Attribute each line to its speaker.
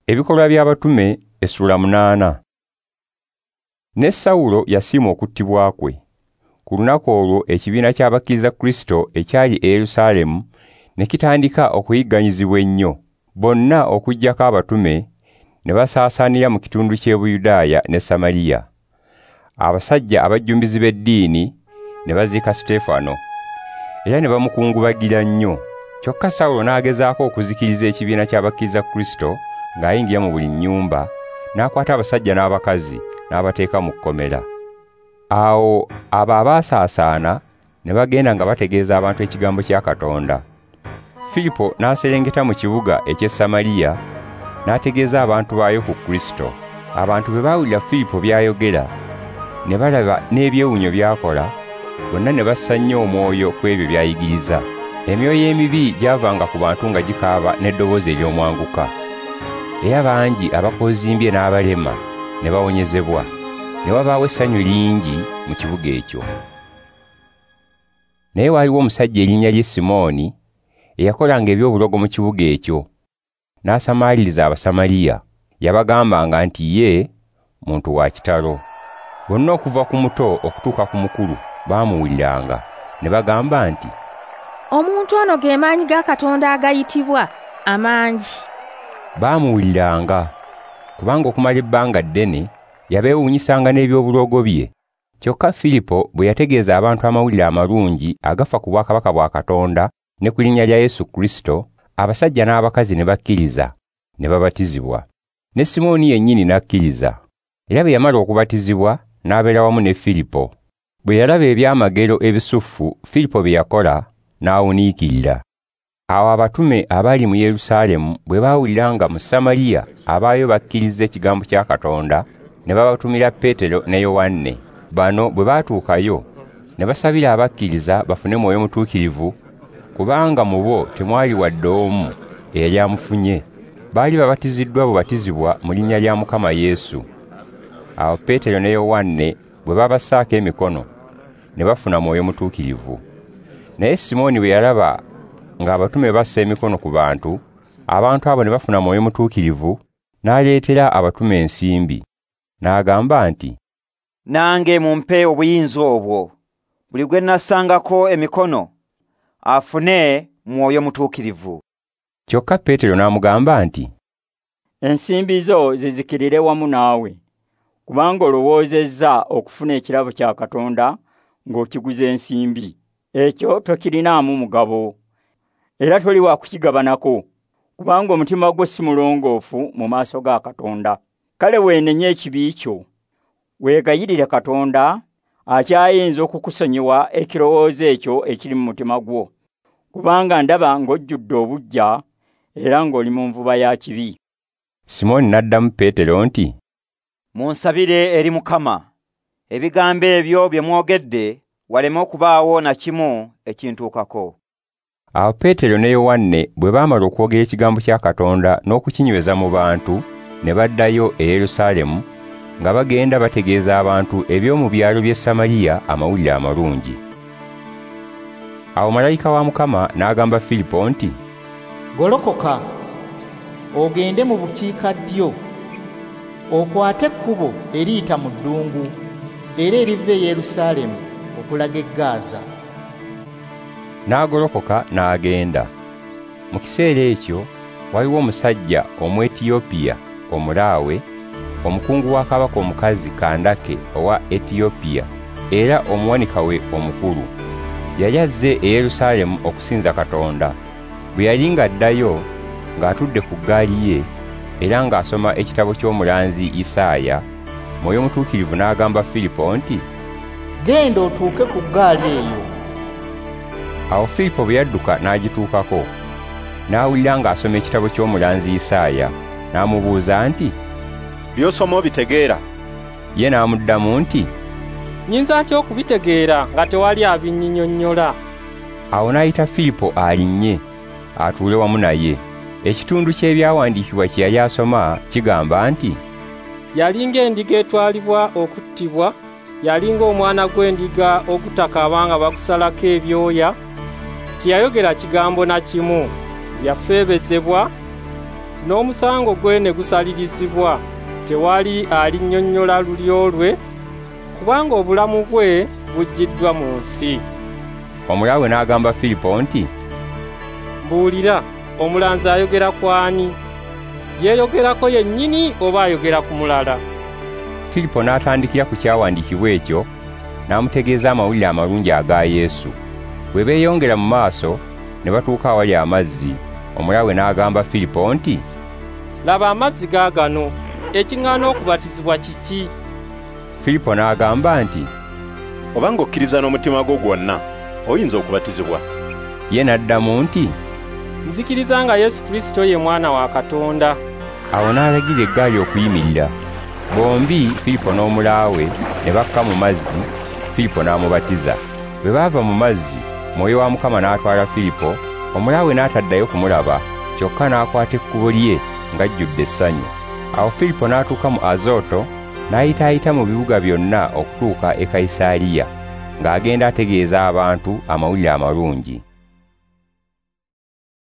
Speaker 1: Ebikolwa by'Abatume essula 8. Ne Sawulo yasiima okuttibwa kwe. Ku lunaku olwo ekibiina ky'abakkiriza Kristo ekyali e Yerusaalemu ne kitandika okuyigganyizibwa ennyo. Bonna okuggyako abatume ne basaasaanira mu kitundu ky'e Buyudaaya ne Samaliya. Abasajja abajjumbizi b'eddiini ne baziika Suteefano, era ne bamukungubagira nnyo. Kyokka Sawulo n'agezaako okuzikiriza ekibiina ky'abakkiriza Kristo ng'ayingira mu buli nnyumba, n'akwata abasajja n'abakazi n'abateeka mu kkomera. Awo abo abaasaasaana ne bagenda nga bategeeza abantu ekigambo kya Katonda. Filipo n'aserengeta mu kibuga eky'e Samaliya n'ategeeza abantu baayo ku Kristo. Abantu bwe baawulira Filipo by'ayogera ne balaba n'ebyewuunyo by'akola, bonna ne bassa nnyo omwoyo ku ebyo by'ayigiriza. Emyoyo emibi gyavanga ku bantu nga gikaaba n'eddoboozi ery'omwanguka. Era bangi abakozimbye n'abalema ne bawonyezebwa, ne wabaawo essanyu lingi mu kibuga ekyo. Naye waaliwo omusajja erinnya lye Simooni eyakolanga eby'obulogo mu kibuga ekyo, n'asamaaliriza Abasamaliya. Yabagambanga nti ye muntu wa kitalo. Bonna okuva ku muto okutuuka ku mukulu baamuwuliranga, ne bagamba nti,
Speaker 2: "Omuntu ono ge maanyi ga Katonda agayitibwa amangi."
Speaker 1: Baamuwuliranga, kubanga okumala ebbanga ddene yabeewuunyisanga n'eby'obulogo bye. Kyokka Filipo bwe yategeeza abantu amawulire amalungi agafa ku bwakabaka bwa Katonda ne ku linnya lya Yesu Kristo, abasajja n'abakazi ne bakkiriza, ne babatizibwa. Ne Simooni yennyini n'akkiriza. Era bwe yamala okubatizibwa n'abeera wamu ne Filipo. Bwe yalaba ebyamagero ebisuffu Filipo bye yakola, n'awuniikirira. Awo abatume abaali mu Yerusaalemu bwe baawulira nga mu Samaliya abaayo bakkiriza ekigambo kya Katonda, ne babatumira Peetero ne Yowanne. Bano bwe baatuukayo ne basabira abakkiriza bafune Mwoyo Mutuukirivu, kubanga mu bo temwali wadde omu eyali amufunye. Baali babatiziddwa bubatizibwa mu linnya lya Mukama Yesu. Awo Peetero ne Yowanne bwe babassaako emikono ne bafuna Mwoyo Mutuukirivu. Naye Simooni bwe yalaba ng'abatume bassa emikono ku bantu, abantu abo ne bafuna Mwoyo Mutuukirivu, n'aleetera abatume ensimbi. N'agamba nti,
Speaker 3: "Nange mumpe obuyinza obwo, buli gwe nassangako emikono afune Mwoyo Mutuukirivu."
Speaker 1: Kyokka Peetero n'amugamba nti,
Speaker 4: "Ensimbi zo zizikirire wamu naawe, kubanga olowoozezza okufuna ekirabo kya Katonda ng'okiguza ensimbi. Ekyo tokirinaamu mugabo, era toli wa kukigabanako, kubanga omutima gwo si mulongoofu mu maaso ga Katonda. Kale weenenye ekibi kyo, weegayirire Katonda akyayinza okukusonyiwa ekirowoozo ekyo ekiri mu mutima gwo, kubanga ndaba ng'ojjudde obuggya era ng'oli mu nvuba ya kibi."
Speaker 1: Simooni n'addamu Peetero nti,
Speaker 3: "Munsabire eri Mukama, ebigambo ebyo bye mwogedde waleme okubaawo na kimu ekintuukako."
Speaker 1: Awo Peetero ne Yowanne bwe baamala okwogera ekigambo kya Katonda n'okukinyweza mu bantu, ne baddayo e Yerusaalemu nga bagenda bategeeza abantu eby'omu byalo by'e Samaliya amawulire amalungi. Awo malayika wa Mukama n'agamba Filipo nti,
Speaker 5: "Golokoka, ogende mu bukiikaddyo, okwate ekkubo eriyita mu ddungu era eriva e Yerusaalemu okulaga e Gaaza."
Speaker 1: N'agolokoka n'agenda. Mu kiseera ekyo waliwo omusajja Omwetiyopiya omulaawe, omukungu wa kabaka omukazi Kandake owa Etiyopiya, era omuwanika we omukulu. Yali azze e Yerusaalemu okusinza Katonda. Bwe yali ng'addayo ng'atudde ku ggaali ye era ng'asoma ekitabo ky'omulanzi Isaaya, Mwoyo Mutuukirivu n'agamba Filipo nti,
Speaker 5: "Genda otuuke ku ggaali eyo."
Speaker 1: Awo Filipo bwe yadduka n'agituukako, n'awulira ng'asoma ekitabo ky'omulanzi Isaaya, n'amubuuza nti,
Speaker 6: "By'osoma obitegeera?"
Speaker 1: Ye n'amuddamu nti,
Speaker 7: "Nnyinza ntya okubitegeera nga tewali abinnyinnyonnyola?"
Speaker 1: Awo n'ayita Filipo alinnye atuule wamu naye. Ekitundu ky'ebyawandiikibwa kye yali asoma kigamba nti,
Speaker 7: "Yali ng'endiga etwalibwa okuttibwa, yali ng'omwana gw'endiga ogutakaaba nga bagusalako ebyoya, teyayogera kigambo na kimu, yafeebezebwa, N'omusango gwe ne gusalirizibwa. Tewali alinnyonnyola lulyo lwe, kubanga obulamu bwe buggiddwa mu nsi.
Speaker 1: Omulaawe n'agamba Filipo nti,
Speaker 7: Mbuulira, omulanzi ayogera ku ani? Yeeyogerako yennyini oba ayogera ku mulala?
Speaker 1: Filipo n'atandikira ku kyawandiikibwa ekyo, n'amutegeeza amawulire amalungi aga Yesu. Bwe beeyongera mu maaso, ne batuuka awali amazzi. Omulaawe n'agamba Filipo nti,
Speaker 7: Laba amazzi gaagano, ekiŋŋaana okubatizibwa kiki?
Speaker 1: Filipo n'agamba nti,
Speaker 6: Obanga okkiriza n'omutima gwo gwonna, oyinza okubatizibwa.
Speaker 1: Ye n'addamu nti,
Speaker 7: Nzikiriza nga Yesu Kristo ye Mwana wa Katonda.
Speaker 1: Awo n'alagira eggaali okuyimirira. Bombi Filipo n'omulaawe ne bakka mu mazzi, Filipo n'amubatiza. Bwe baava mu mazzi, Mwoyo wa Mukama n'atwala Filipo, omulaawe n'ataddayo kumulaba, kyokka n'akwata ekkubo lye ng'ajjudde essanyu. Awo Filipo n'atuuka mu Azoto, n'ayitaayita mu bibuga byonna okutuuka e Kayisaliya, ng'agenda ategeeza abantu amawulire amalungi.